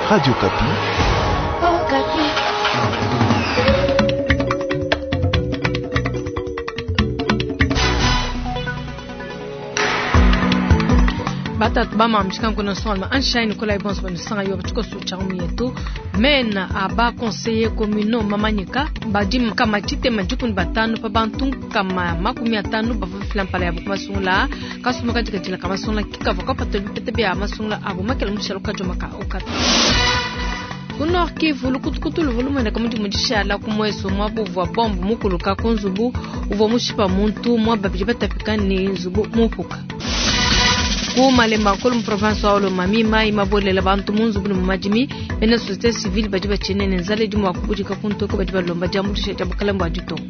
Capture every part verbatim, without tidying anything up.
Radio Okapi. Oh, Okapi. Batatu bamamshika nkono solma anshine kola ibonso banisanga yo batikoso chamu yetu mena aba conseiller communaux mamanyika badi kama chitema dikuni batanu pa bantu kama makumi atanu bava filampala yabo kumasungula kasuma katika jila kamasungula kikava kapata bipete bya masungula abo makela mushalo kajoma ka Okapi. Ku Nord Kivu lukutukutu luvulumene kamuti mudishala ku mweso mwabuvwa bombo mukuluka ku nzubu uvwa mushipa muntu mwababidi batapika ni nzubu mupuka. Ku Malemba nkulu mu province wa Lomami mai mabolela bantu mu nzubu ne mu madimi bena société civile badi batshinene nzala idi mua kubudika ku ntoko badi balomba diambuluisha dia bukalenge bua ditunga.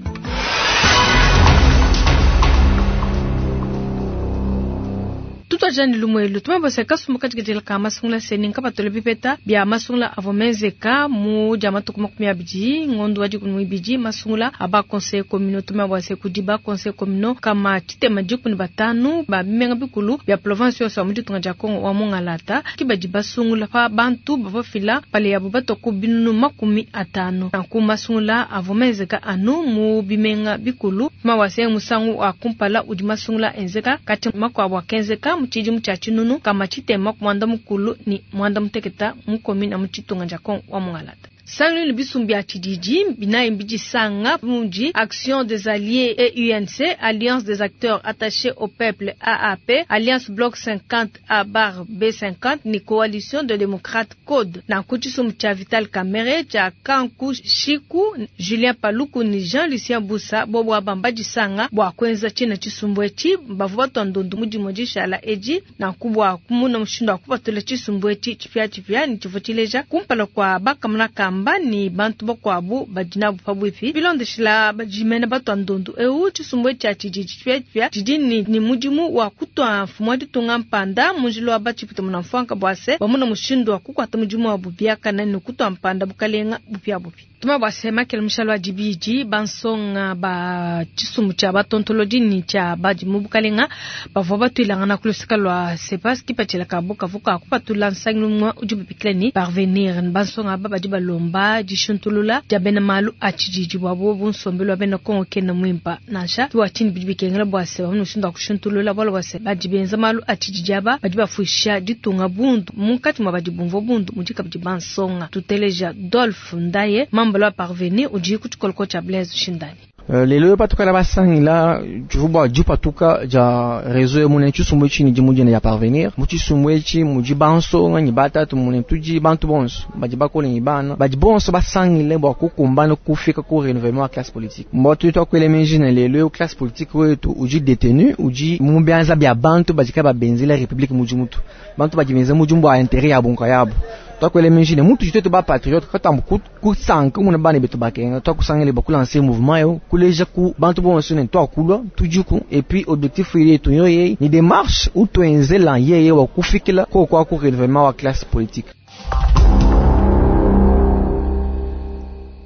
Tutwajani lumwelu tumabose kasumbu katikatila ka masungula seni nkapatole bipeta bya masungula avo menzeka mu dia matuku makumi abidi ngondo wa dikumi muibidi masungula aba conseil communaux tumabose kudi ba conseil communaux kama tshitema dikumi batanu ba bimenga bikulu bya province yonso ya mu ditunga dia Kongo wa Mongalata ki badi basungula pa bantu bavofila pale yabo batoku binunu makumi atanu nanku masungula avo menzeka anu mu bimenga bikulu tumabose musangu wa kumpala udi masungula enzeka kati makuabu akenzeka mu tshidi tshia tshinunu kama tshitema ku mwanda mukulu ni mwanda muteketa mu commune ya mu tshitunga dia Kongo wa Mongalata. Sangu bisumbi ya tshididi binayi mbidisanga muji Action des Alliés et U N C, Alliance des acteurs attachés au peuple A A P, Alliance Bloc cinquante A bar B cinquante ni Coalition de démocrates Code. Na kuchisumbu cha Vital Kamerhe cha Kanku Shiku, Julien Paluku ni Jean-Lucien Bussa bobo abamba disanga bwa kwenza china chisumbu echi bavu batwa ndondu mudi modishala eji na kubwa kumuna mushindo akupatula chisumbu echi chipya chipya ni chivochileja kumpala kwa bakamuna kamba ni bantu bakwabu badina bupabwipi bilondeshela bajimena batwa ndondu eu chisumbu cha chiji chipya chipya jiji ni, ni mudimu wa kutwa mfumo ditunga mpanda munjilo wa bachipita munamfwanka bwase bamuna mushindo wa kukwata mudimu wa bubiaka na ni kutwa mpanda bukalenga bupya bupi. Tuma bwase makele mushalo wa dibidi bansonga ba chisumbu cha batontoloji ni cha badi mu bukalenga bavua batwilangana kulusika lwa sepas kipatshila kabo kavuka kupatula nsangilu mwa udi bupikila ni parvenir bansonga aba badi balomba dishuntulula dia bena malu a tshididi bwabo bunsombelu wa bena Kongo kena mwimpa nansha kiwa tshini bidi bikengela bwase bamuna mushindu wa kushuntulula bwalo bwase badi benza malu a tshididi aba badi bafuisha ditunga bundu munkatshi mwa badi bumvua bundu mudi kabidi bansonga tuteleja Dolphe Ndaye mambalo wa parvenir udi ku tshikoloko tshia Blaise Shindani. Euh, lelo patuka la basangila tshivua dipatuka dia réseau mune tshisumbu tshini di mudina ya parvenir mu tshisumbu etshi mudi bansonga ni batatu mune tudi bantu bonso badi bakole ni bana badi bonso basangile bua kukumbana kufika ku renouvellement ya classe politique mbo tu twakwele menji na lelo classe politique wetu udi détenu udi mu bianza bia bantu badi ka babenzela république mudi mutu bantu badi benza mudi mbua intérêt ya bunka yabo twakwele menji ne mutu jitetu ba patriote katambu kusanka muna bana betu bakenga twakusangile bakulancer mouvement yo kuleja ku bantu bonso ne twakulwa tujuku et puis objectif yetu yo ye ni démarche ou twenzela yeye wa kufikila ko kwa ku renouvellement wa classe politique.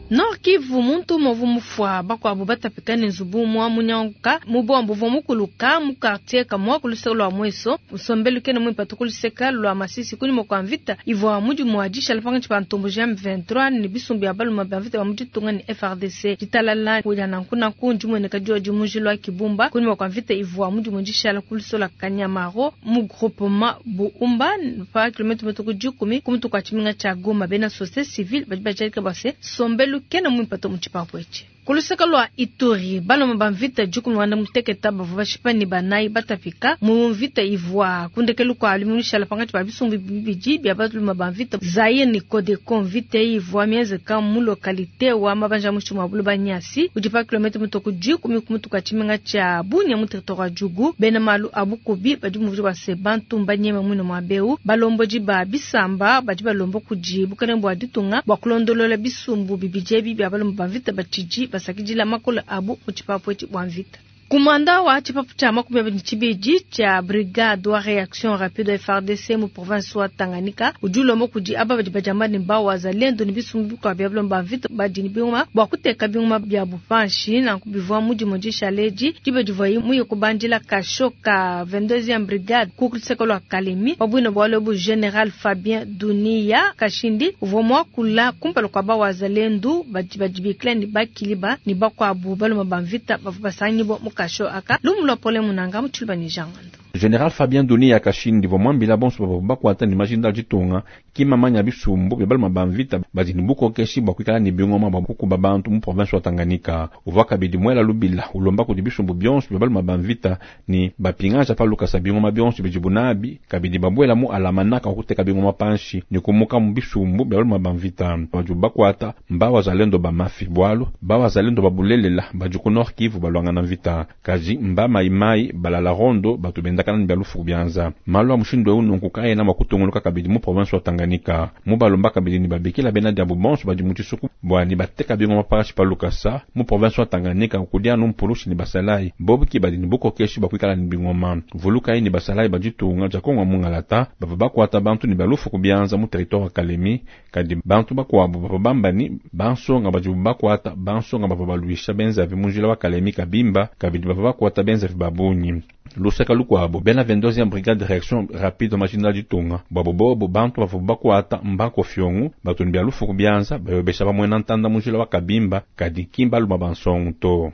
Nord Kivu muntu movu mufwa bakwabo batapika ne nzubu mwa munyanka mubombo vwa mukuluka mu quartier kamwa kuluseka lwa mweso usombelu kene mwipatu kuluseka lwa masisi kuni mokwa mvita ivwa mudi mwa disha lapanga chipa ntombo G M vingt-trois ni bisumbi ya baluma ba mvita ba mudi tunga ni F R D C ditalala kuja na nkuna kunji mwene kajua jimuji lwa kibumba kuni mokwa mvita ivwa mudi mwa disha la kulusola kanyamaro mu groupement buumba pa kilometre metoko jikumi kumutu kwa chiminga cha Goma bena société civile badi bajalika base sombelu kena mwipato muchipapo echi. Kuluseka lwa Ituri baloma ba mvita jukumi wanda muteketa bavua bashipa ni banayi batapika mu mvita ivua kundekelu kwa alimunisha pangathi ba bisumbu bibidi bya baloma ba mvita Zaire ni Codeco mvita ivua miezeka mu localité wa mabanja mushimu wa bulu banyasi udi pa kilometre mutoko jikumi kumutuka tshimenga tsha Bunia mu territoire wa Djugu bena malu abukubi badi muvudi wa se bantu mbanyema mwino mwa beu balomboji ba bisamba badi balombo kudi bukalenge bua ditunga bua kulondolola bisumbu bibidi ebi bya baloma ba mvita batshidi basakidila makolo abu mu tshipapu etshi bua mvita. Kumanda wa tshipapu tshia makumi abidi tshibidi tshia brigade wa reaction rapide F R D C mu province wa Tanganyika udi ulomba kudi aba badi badiamba ne ba wazalendo ne bisumbu bikuabu bia bilomba mvita badi ne bingoma bua kuteka bingoma bia bupanshi nanku bivua mudimu dishaledi diba divuaye muye kubandila kasho ka vingt-deuxième brigade ku luseke lua Kalemi pabuina bualu bu General Fabien Dunia Kashindi uvua muakula kumpala kua ba wazalendo badi badibikila ne bakiliba ne bakuabu baloma ba mvita bavua basangibua mu kasho aka lumulwa pole munanga mutshilba ni jangando. General Fabien Dunia Kashindi vomwambila bonso babo bakwata ni majinda jitunga kimamanya bisumbu bya baloma ba mvita badi ni bukokeshi bwa kwikala ni bingoma bwa kukuba bantu mu province wa Tanganyika. Uvua kabidi mwela lubila ulomba kudi bisumbu byonso bya baloma ba mvita ni bapingaja pa lukasa bingoma byonso bijibunabi kabidi babwela mu alamanaka kuteka bingoma panshi ni kumuka mu bisumbu bya baloma ba mvita baju bakwata mba wazalendo ba mafi bwalu ba wazalendo babulelela baju ku Nord Kivu balwangana mvita kaji mba maimai balala rondo batu bendaka ni balufu byanza malo mushindo ununku kaena makutunguluka kabidi mu province wa Tanganyika mu balomba kabidi ni babikila bena diabu bonso badi mu tshisuku bwa ni bateka bingo maparashi pa lukasa mu province wa Tanganyika kudia no mpulushi ni basalai bobuki badi ni bukokeshi bakwikala ni bingoma vuluka ni basalai bajitunga jakonga mungalata bava bakwata bantu ni balufu kubyanza mu territoire wa Kalemi kadi bantu bakwabu bava bambani bansonga badi bakwata bansonga bava baluisha benzavi munjila wa Kalemi kabimba kabidi bava bakwata benzavi babunyi luseka lukwabo bena vingt-deuxième brigade de réaction rapide majinda ditunga bwabo bobo bantu bavo bakwata mbako fyongu batu ni lufu kubyanza bayobesha bamwena ntanda munjila wa kabimba kadi kimba luma bansongu to.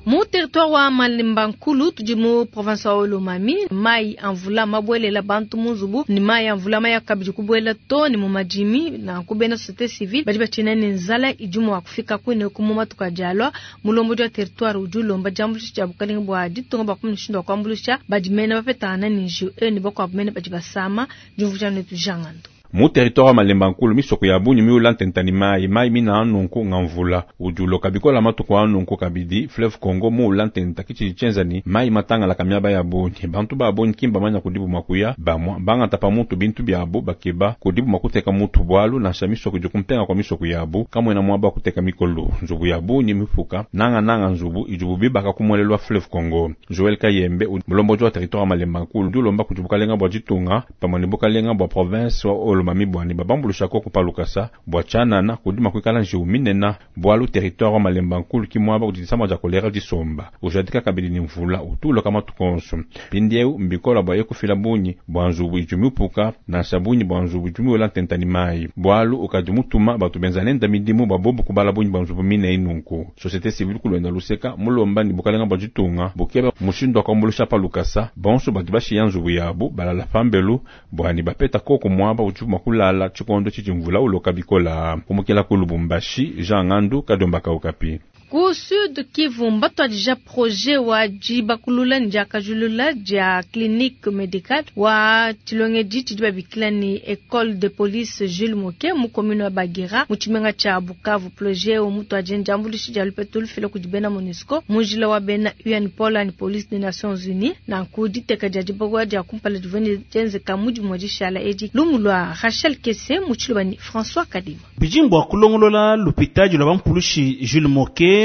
Mu territoire wa Malemba Nkulu tudi mu province wa Olomami mai anvula mabwelela bantu muzubu ni mai anvula maya kabidi kubwela to ni mu majimi na kubena société civile badi bachina ni nzala ijumu wa kufika kwine ku matuka jalwa mulombo wa territoire udi lomba jambulisha ja bukalinga bwa ditunga bwa kumushindo wa kwambulisha badi mena bapetana ni nju e ni bakwa mena badi basama jumvuja netu jangando. Mu territoire wa Malemba Nkulu misoko ya bunyi miula ntentani mai mai mina anunku ngamvula ujulo kabikola matuku anunku kabidi fleuve Congo muula ntenta kichi chenzani mai matanga la kamyaba ya bunyi bantu ba bunyi kimba manya kudibu makuya bamwa bangata pa mutu bintu byabu bakeba kudibu makuteka mutu bwalu na shamisoko jukumpenga kwa misoko yabu kamwe na mwaba kuteka mikolo nzubu ya bunyi mifuka nanga nanga nzubu ijubu bibaka kumwelelwa fleuve Congo. Joel Kayembe mulombo wa territoire wa Malemba Nkulu dulomba kujubukalenga bwa jitunga pamwe ni bukalenga bwa province wa Olomami bwani babambulusha ko kupalukasa bwa chanana kudima kwikala njiu minena bwalu territoire wa Malemba Nkulu kimwaba kudisama ja kolera disomba ujadika kabili ni mvula utulo kama tukonso pindieu mbikola bwa yekufila bunyi bwa nzubu ijumiupuka na sabunyi bwa nzubu ijumiula ntentani mai bwalu ukadimutuma batu benzanenda midimu babobu kubala bunyi bwa nzubu mine inunku société civile kulwenda luseka mulomba ni bukalenga bwa jitunga bukeba mushindo akambulusha palukasa bonso batu bashiya nzubu yabu balala pambelu bwani bapeta koko mwaba ujuma kulala chikondo chichimvula uloka bikola kumukela ku Lubumbashi Jean Ngandu Kadomba Kaukapi. Ku Sud Kivu mbatwadija projet wa jibakulula njakajulula ja clinique médicale wa chilongeji chidiba bikila ni école de police Jules Moke mu commune wa Bagira mu chimenga cha Bukavu. Projet o mutu ajenja ambulishi ja lupetu lufila kujibena MONUSCO mujila wa bena U N Paul and Police des Nations Unies na kuditeka ja jibagwa ja kumpala jivene jenzeka muji mojishala edi lumulwa Rachel Kese mu chiluba ni François Kadima. Bijimbo kulongolola lupitaji lwa bampulushi Jules Moke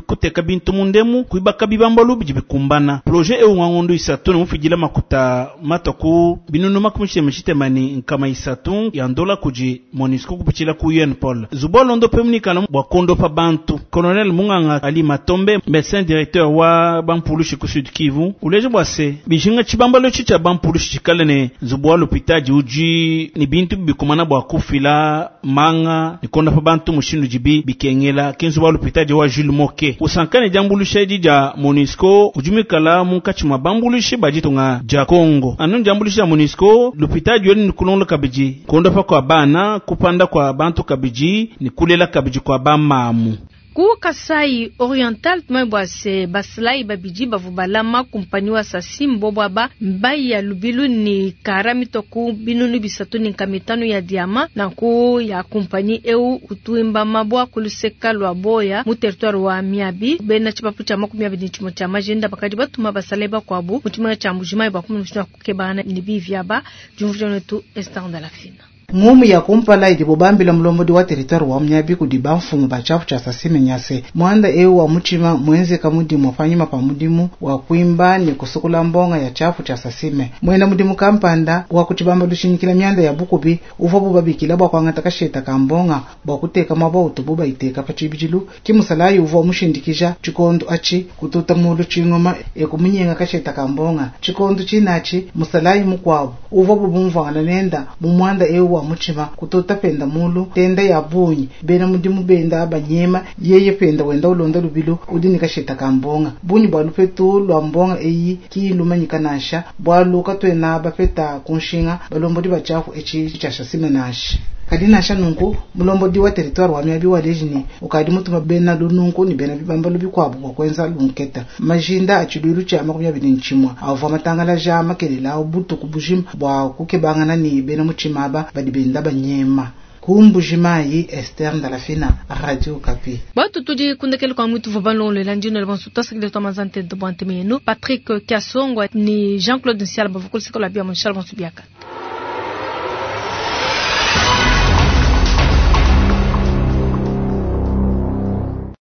kuteka bintu mundemu kuibaka bibambalu bidi bikumbana projet ewu ngangondo isatu mufijila makuta mataku binunu makumi shitemani nkama isatu ya ndola kuji MONUSCO kupichila ku U N Paul zubolondo pemunikana bwa kondo pa bantu Colonel Munganga Ali Matombe médecin directeur wa bampulushi ku Sud Kivu uleje bwase bijinga chibambalo chicha bampulushi chikalene zubwa lupitaji uji ni bintu bikumana bwa kufila manga ni kondo pa bantu mushindu jibi bikengela kenzu bwa lupitaji wa Jules Moke usankane jambulusha ja MONUSCO ujumikala munkachi mabambulushe bajitunga ja Kongo anu jambulusha ja MONUSCO lupitaji yoni nikulonga kabiji konda pa kwa bana kupanda kwa bantu kabiji nikulela kabiji kwa bamamu. Ku Kasai Oriental tumebwase basilai babiji bavubalama kumpani wa Sasimbo bwaba mbai ya lubilu ni karamito ku binunu bisatu ni nkamitano ya diama na ku ya kumpani eu utuimba mabwa kuluseka lwa boya mu territoire wa Miabi bena chipapu cha makumi abiri chimo cha majenda bakadi batuma basalai bakwabu muchimanga cha mujima bakumi mushina kukebana ni bivyaba jumvuja netu Esther de la Fina. Ngumu ya kumpala idibo bambila mulombodi wa territoire wa Miabi kudi bamfumu ba tshiapu tshia Sasime nyase muanda eu wa mutshima mwenzeka mudimu panyima pa mudimu wa kuimba ne kusukula mbonga ya tshiapu tshia Sasime. Mwena mudimu kampanda wa kuchibamba lushinyikila mianda ya bukubi uvua bubabikila bua kuangata kasheta ka mbonga bua kuteka mwaba utubu bayiteka pa tshibidilu kimusalayi uvua mushindikija tshikondo atshi kututa mulu tshingoma ekumunyenga kasheta ka mbonga tshikondo tshinachi musalayi mukwabo uvua bubumvwangana nenda mu mwanda eu wa mutshima kututa penda mulu tenda ya bunyi bena mudimu benda banyema yeye penda wenda ulonda lubilu udi ni kasheta ka mbonga bunyi bwa lupetu lwa mbonga eyi kilumanyika nasha bwalu katwena bapeta kunshinga balombodi bachafu echi chashasime nasha kadi nasha nunku mulombodi wa territoire wa Miabi wa lejini ukadi mutuma bena lununku ni bena bibambalu bikwabu bwa kwenza lunketa majinda achiluilu cha makumi abiri nchimwa avua matangala ja makelela butuku bujima bwa kukebangana ni bena mutshimaba badi benda banyema kumbujimayi Esther Ndalafina, Radio Okapi. Batu tudi kundekele kwa mwitu vobalongo ndino le bonso tasakile to mazante de bonte menu Patrick Kasongo ni Jean-Claude Nsiala bavukul sikola bia mon Charles Bonsubiaka.